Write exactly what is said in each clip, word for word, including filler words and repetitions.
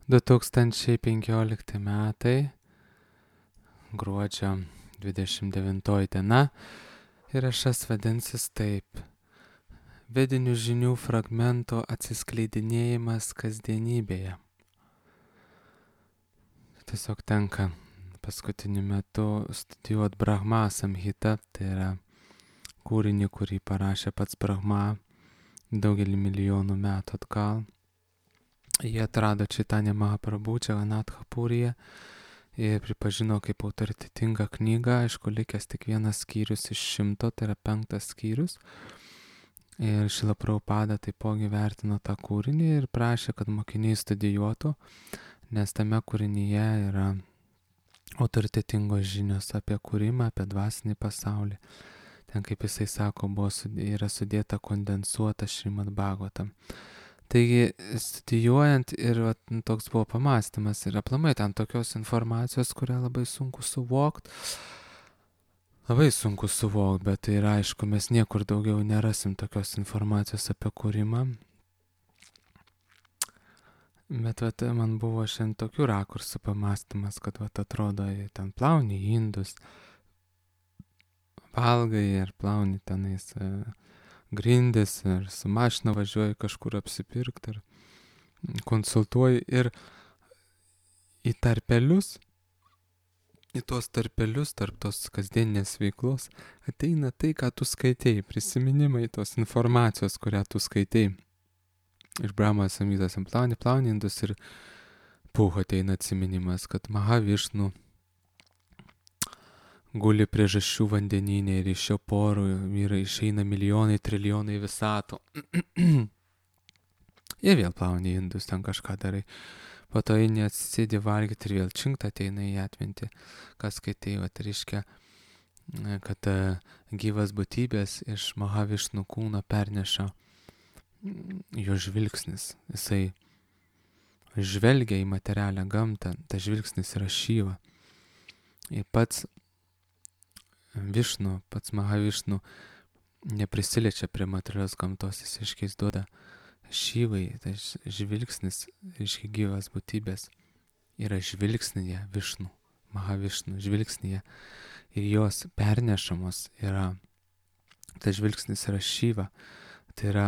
du tūkstančiai penkiolikti metai, gruodžio dvidešimt devintoji diena, įrašas vadinsis taip: Vedinių žinių fragmento atsiskleidinėjimas kasdienybėje. Tiesiog tenka paskutiniu metu studijuoti Brahma Samhita, tai yra kūrinį, kurį parašė pats Brahma daugelį milijonų metų atgal. Jie atrado Chaitanya Mahaprabhu Džaganatha Puryje ir pripažino kaip autoritetingą knygą, aišku, likęs tik vienas skyrius iš šimto, tai yra penktas skyrius. Ir Šrila Prabhupada taipogi vertino tą kūrinį ir prašė, kad mokiniai studijuotų, nes tame kūrinyje yra autoritetingos žinios apie kūrimą, apie dvasinį pasaulį. Ten, kaip jisai sako, buvo, yra sudėta kondensuota Šrimad Bhagavatam. Taigi, studijuojant ir va, toks buvo pamastymas ir aplamai ten tokios informacijos, kurią labai sunku suvokti. Labai sunku suvokti, bet tai yra aišku, mes niekur daugiau nerasim tokios informacijos apie kūrimą. Bet vat, man buvo šiandien tokių rakursų pamastymas, kad vat, atrodo, ten plauni indus, valgai ir plauni tenais e, grindis ir su mašina važiuoji kažkur apsipirkti ir konsultuoji ir į tarpelius, į tos tarpelius, tarp tos kasdieninės veiklos ateina tai, ką tu skaitei, prisiminimai tos informacijos, kurią tu skaitei. Iš Brahma Samhitos plauni, plauni indus ir puh ateina atsiminimas, kad Mahavišnu guli priežasčių vandenyne ir iš šio porų yra išeina milijonai, trilijonai visatų. Ir vėl plauni indus, ten kažką darai. Po to eini atsisėdi valgyti ir vėl činkt ateina į atmintį. Kas skaitai, vat reiškia, kad gyvas būtybės iš Mahavišnu kūno perneša jo žvilgsnis. Jisai žvelgia į materialią gamtą, tas žvilgsnis yra Šiva. Ir pats Višnu, pats Mahavišnu neprisiliečia prie materialios gamtos, jis iškiais duoda Šivai, tai žvilgsnis, reiškia gyvas būtybės, yra žvilgsnyje Višnu, Mahavišnu žvilgsnyje ir jos pernešamos yra, tas žvilgsnis yra Šiva, tai yra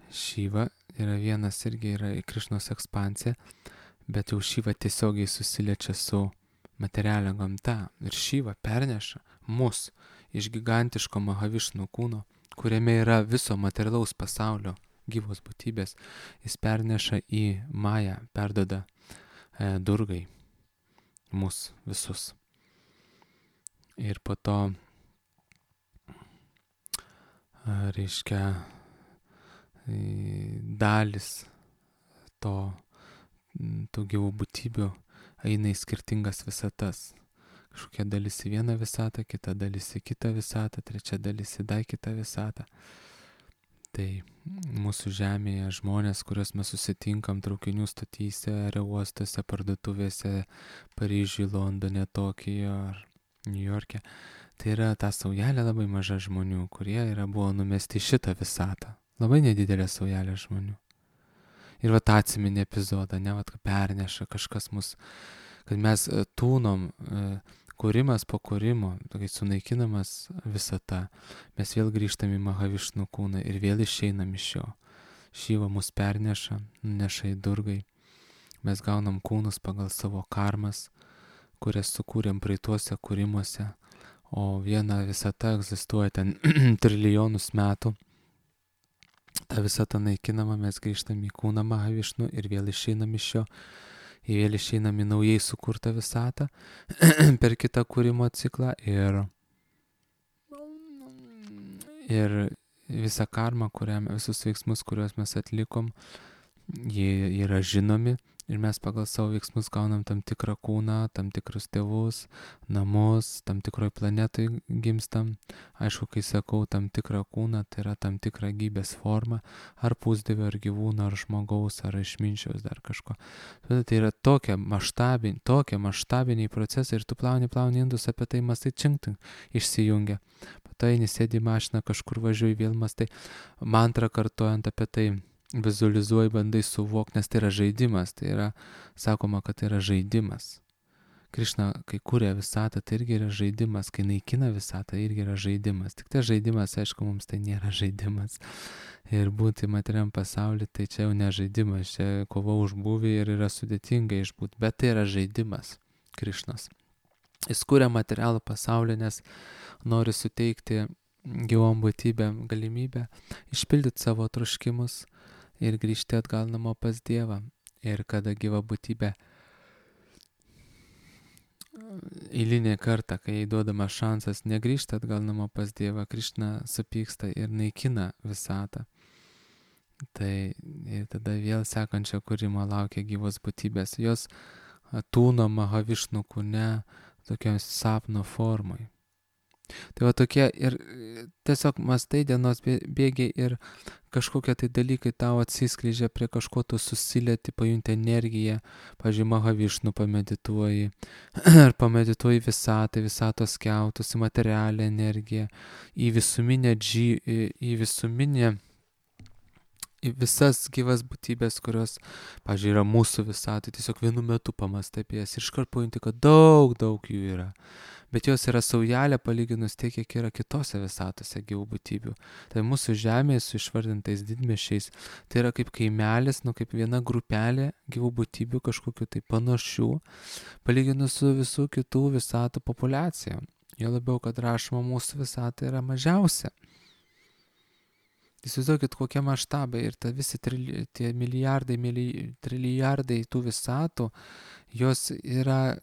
Šiva yra vienas irgi yra Krišnos ekspansija, bet jau Šiva tiesiogiai susiliečia su materialia gamta ir Šiva perneša mus iš gigantiško Mahavišnu kūno, kuriame yra viso materialaus pasaulio gyvos būtybės, jis perneša į Mają, perdoda e, Durgai mus visus. Ir po to e, reiškia e, dalis to tų gyvų būtybių eina į skirtingas visatas. Kažkokia dalis į vieną visatą, kita dalis į kitą visatą, trečia dalis į dar kitą visatą. Tai mūsų žemėje žmonės, kuriuos mes susitinkam traukinių stotyse, aerouostuose, parduotuvėse, Paryžiuje, Londone, Tokijo ar Niujorke, tai yra ta saujelė labai maža žmonių, kurie yra buvo numesti į šitą visatą. Labai nedidelė saujelė žmonių. Ir va tą atsiminė epizodą, ne, va, kad perneša kažkas mus, kad mes tūnom, kūrimas po kūrimo, tokiai sunaikinamas visata, mes vėl grįžtam į Mahavišnu kūną ir vėl išeinam iš jo. Šiva mus perneša, neša į Durgai, mes gaunam kūnus pagal savo karmas, kurias sukūrėm praeituose kūrimuose, o viena visata egzistuoja ten trilijonus metų. Ta visata naikinama, mes grįžtam į kūną Mahavišnu ir vėl išeinam iš jo, ir vėl išeinam į naujai sukurtą visatą per kitą kūrimo ciklą ir, ir visą karmą, kurią, visus veiksmus, kuriuos mes atlikom, jie yra žinomi ir mes pagal savo veiksmus gaunam tam tikrą kūną, tam tikrus tėvus, namus, tam tikroj planetoj gimstam. Aišku, kai sakau tam tikrą kūną, tai yra tam tikrą gyvybės formą, ar pusdievio, ar gyvūno, ar žmogaus, ar išminčiaus, dar kažko. Tai yra tokie maštabiniai, tokie maštabiniai procesai ir tu plauni, plauni indus, apie tai mastai činkti išsijungia. Po to eini sėdi į mašiną, kažkur važiuoji, vėl mastai mantrą kartojant apie tai. vizualizuoji, bandai suvokti, nes tai yra žaidimas, tai yra, sakoma, kad tai yra žaidimas. Krišna, kai kūrė visatą, tai irgi yra žaidimas, kai naikina visatą, irgi yra žaidimas. Tik tai žaidimas, aišku, mums tai nėra žaidimas. Ir būti materiam pasaulyje, tai čia jau ne žaidimas, čia kova už būvį ir yra sudėtinga išbūti, bet tai yra žaidimas Krišnos. Jis kūrė materialų pasaulį, nes nori suteikti gyvom būtybėm galimybę išpildyti savo troškimus ir grįžti atgal namo pas Dievą. Ir kada gyva būtybė eilinį kartą, kai jai duodamas šansas negrįžti atgal namo pas Dievą, Krišna supyksta ir naikina visatą. Tai ir tada vėl sekančio kūrimo laukia gyvos būtybės. Jos tūno Mahavišnu kūne tokiam sapno formai. Tai va tokie ir tiesiog mastai dienos bėgiai ir kažkokie tai dalykai tau atsiskleidžia, prie kažko tu susilieti, pajunti energiją, pavyzdžiui, Mahavišnu pamedituoji, ar pamedituoji visatą, visatos skiautus, į materialią energiją, į visuminę džį, į visuminę, į visas gyvas būtybės, kurios, pavyzdžiui, yra mūsų visatoj, tiesiog vienu metu pamastai apie jas ir iškart pajunti, kad daug, daug jų yra. Bet jos yra saujelė palyginus tiek, kiek yra kitose visatose gyvų būtybių. Tai mūsų žemėje su išvardintais didmiesčiais, tai yra kaip kaimelis, nu kaip viena grupelė gyvų būtybių kažkokiu tai panašių, palyginus su visų kitų visatų populiacija. Jo labiau, kad rašoma mūsų visata yra mažiausia. Įsivaizduokit, kokie maštabai ir ta visi trili, tie milijardai, mili, trilijardai tų visatų, jos yra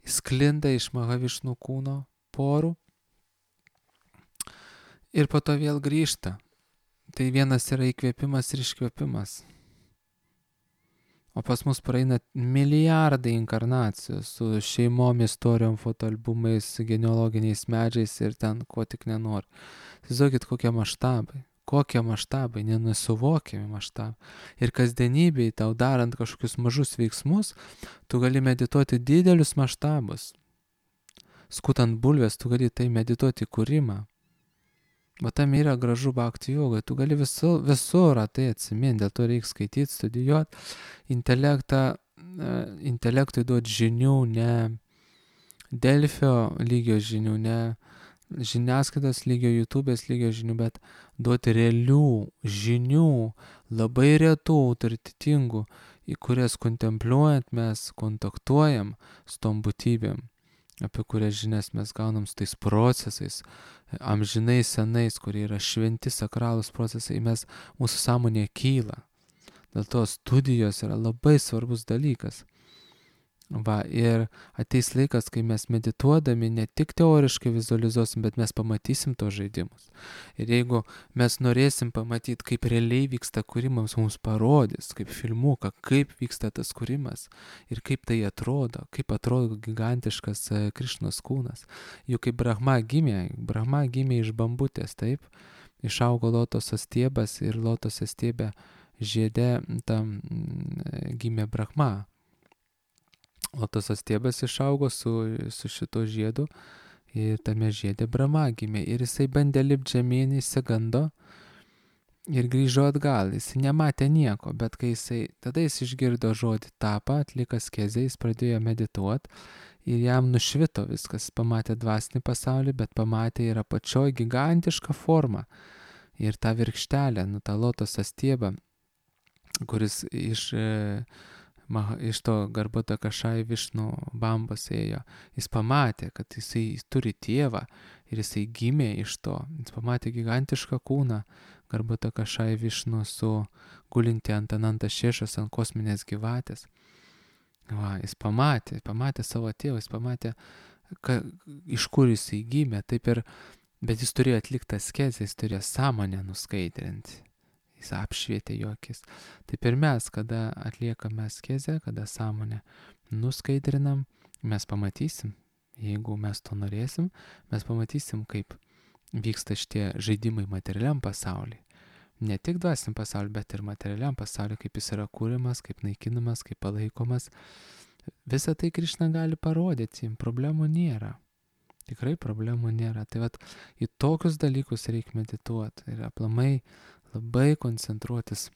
sklinda iš Mahavišnu kūno porų ir po to vėl grįžta. Tai vienas yra įkvėpimas ir iškvėpimas. O pas mus praeina milijardai inkarnacijų su šeimom, istorijom, fotoalbumais, genealoginiais medžiais ir ten ko tik nenori. Įsivaizduokit, kokie maštabai. Kokie maštabai, nenusuvokiami maštabai. Ir kasdienybėj tau darant kažkokius mažus veiksmus, tu gali medituoti didelius maštabus. Skutant bulves, tu gali tai medituoti kūrimą. O tam yra gražu bhakti joga, tu gali visur, visur tai atsiminti, dėl to reikia skaityti, studijuoti, intelektą, intelektui duoti žinių, ne Delfio lygio žinių, ne žiniasklaidos lygio, YouTube'ės lygio žinių, bet duoti realių žinių, labai retų, autoritetingų, į kurias kontempliuojant mes kontaktuojam su tom būtybėm, apie kurias žinias mes gaunam su tais procesais, amžinai senais, kurie yra šventi, sakralūs procesai, mes, mūsų sąmonė kyla. Dėl to studijos yra labai svarbus dalykas. Va, ir ateis laikas, kai mes medituodami ne tik teoriškai vizualizuosim, bet mes pamatysim tos žaidimus. Ir jeigu mes norėsim pamatyti, kaip realiai vyksta kūrimas, mums parodys, kaip filmuką, kaip vyksta tas kūrimas ir kaip tai atrodo, kaip atrodo gigantiškas Krišnos kūnas. Juk kaip Brahma gimė, Brahma gimė iš bambutės, taip, išaugo lotoso stiebas ir lotoso stiebė žiede tam gimė Brahma. Lotoso stiebas išaugo su, su šito žiedu ir tame žiede Brahma gimė. Ir jisai bandė lipti žemyn, išsigando ir grįžo atgal. Jis nematė nieko, bet kai jisai, tada jis išgirdo žodį tapą, atliko askezę, jis pradėjo medituoti ir jam nušvito viskas. Jis pamatė dvasinį pasaulį, bet pamatė ir apačioje gigantišką formą. Ir tą virkštelę, nu tą lotoso stiebą, kuris iš... Maha, iš to Garbhata Kašai Višnu bambos ėjo. Jis pamatė, kad jisai turi tėvą ir jisai gimė iš to. Jis pamatė gigantišką kūną Garbhata Kašai Višnu su gulinti ant Ananta Šešos, ant kosminės gyvatės. Va, jis pamatė, pamatė savo tėvą, jis pamatė, ka, iš kur jisai gimė. Taip ir, bet jis turėjo atlikti askezę, jis turėjo sąmonę nuskaidrinti. Jis apšvietė jo akis. Taip ir mes, kada atliekame askezę, kada sąmonę nuskaidrinam, mes pamatysim, jeigu mes to norėsim, mes pamatysim, kaip vyksta šitie žaidimai materialiam pasauliui. Ne tik dvasiniam pasauliui, bet ir materialiam pasauliui, kaip jis yra kūrimas, kaip naikinamas, kaip palaikomas. Visą tai Krišna gali parodyti, problemų nėra. Tikrai problemų nėra. Tai vat, į tokius dalykus reikia medituoti. Ir aplamai labai koncentruotis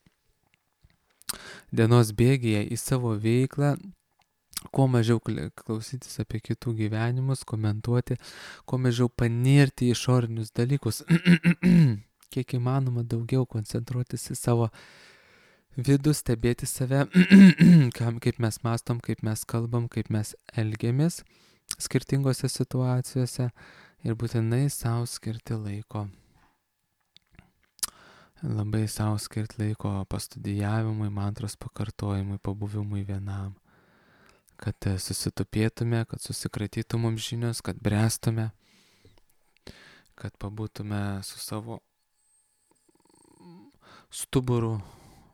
dienos bėgyje į savo veiklą, kuo mažiau klausytis apie kitų gyvenimus, komentuoti, kuo mažiau panirti į išorinius dalykus, kiek įmanoma daugiau koncentruotis į savo vidų, stebėti save, kaip mes mastom, kaip mes kalbam, kaip mes elgiamės skirtingose situacijose ir būtinai savo skirti laiko. Labai savo skirti laiko pastudijavimui, mantros pakartojimui, pabuvimui vienam. Kad susitupėtume, kad susikratytų mums žinios, kad brestume, kad pabūtume su savo stuburu.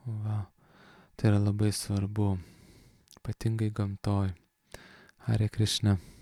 Va. Tai yra labai svarbu, ypatingai gamtoj. Hare Krishna.